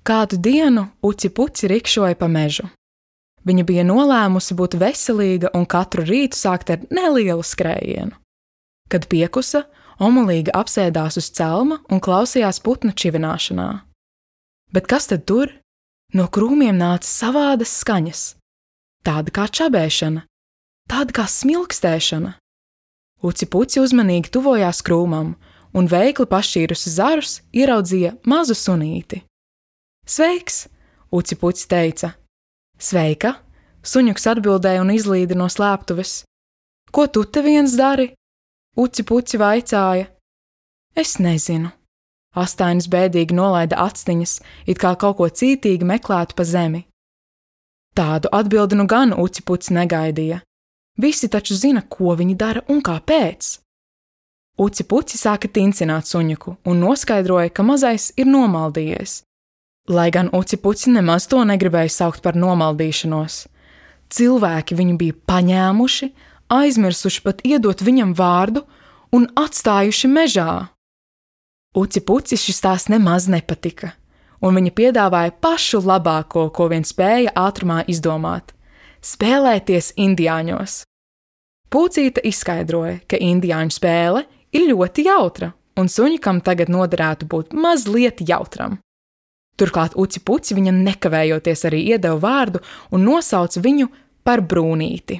Kādu dienu Uci Puci rikšoja pa mežu. Viņa bija nolēmusi būt veselīga un katru rītu sākt ar nelielu skrējienu. Kad piekusa, omulīga apsēdās uz celma un klausījās putnu čivināšanā. Bet kas tad tur? No krūmiem nāca savādas skaņas. Tāda kā čabēšana, tāda kā smilkstēšana. Uci Puci uzmanīgi tuvojās krūmam un veikli pašķīrusi zarus ieraudzīja mazu sunīti. Sveiks, Uci Puci teica. Sveika, suņuks atbildēja un izlīda no slēptuves. Ko tu te viens dari? Uci Puci vaicāja. Es nezinu. Astainis bēdīgi nolaida actiņas, it kā kaut ko cītīgi meklētu pa zemi. Tādu atbildi nu gan Uci Puci negaidīja. Visi taču zina, ko viņi dara un kāpēc. Uci Puci sāka tincināt suņuku un noskaidroja, ka mazais ir nomaldījies. Lai gan Uci Puci nemaz to negribēja saukt par nomaldīšanos. Cilvēki viņu bija paņēmuši, aizmirsuši pat iedot viņam vārdu un atstājuši mežā. Uci Puci šis tās nemaz nepatika, un viņa piedāvāja pašu labāko, ko vien spēja ātrumā izdomāt – spēlēties indiāņos. Pucīte izskaidroja, ka indiāņu spēle ir ļoti jautra, un suņikam tagad noderētu būt mazliet jautram. Turklāt Uci Puci viņam nekavējoties arī iedeva vārdu un nosauca viņu par Brūnīti.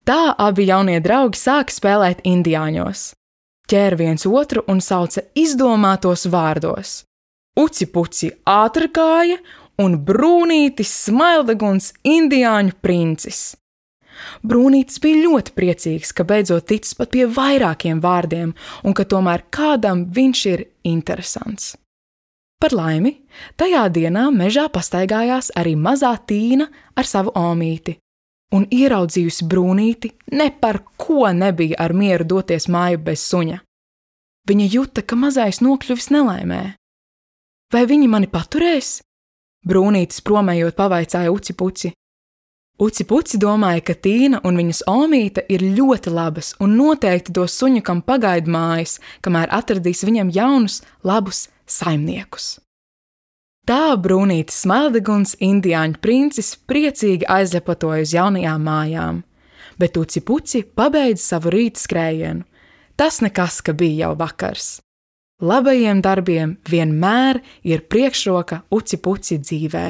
Tā abi jaunie draugi sāka spēlēt indiāņos. Ķēra viens otru un sauca izdomātos vārdos. Uci Puci ātrkāja un Brūnītis smaildeguns indiāņu princis. Brūnītis bija ļoti priecīgs, ka beidzot ticis pat pie vairākiem vārdiem un ka tomēr kādam viņš ir interesants. Par laimi, tajā dienā mežā pastaigājās arī mazā Tīna ar savu omīti, un ieraudzījusi Brūnīti ne par ko nebija ar mieru doties māju bez suņa. Viņa juta, ka mazais nokļuvis nelaimē. Vai viņi mani paturēs? Brūnītis promējot pavaicāja Uci Puci. Uci Puci domāja, ka Tīna un viņas omīte ir ļoti labas un noteikti dos suņukam pagaidu mājas, kamēr atradīs viņam jaunus, labus saimniekus. Tā Brūnītis smaildeguns indiāņu princis priecīgi aizlepatoja uz jaunajām mājām, bet Uci Puci pabeidza savu rīta skrējienu. Tas nekas, ka bija jau vakars. Labajiem darbiem vienmēr ir priekšroka Uci Puci dzīvē.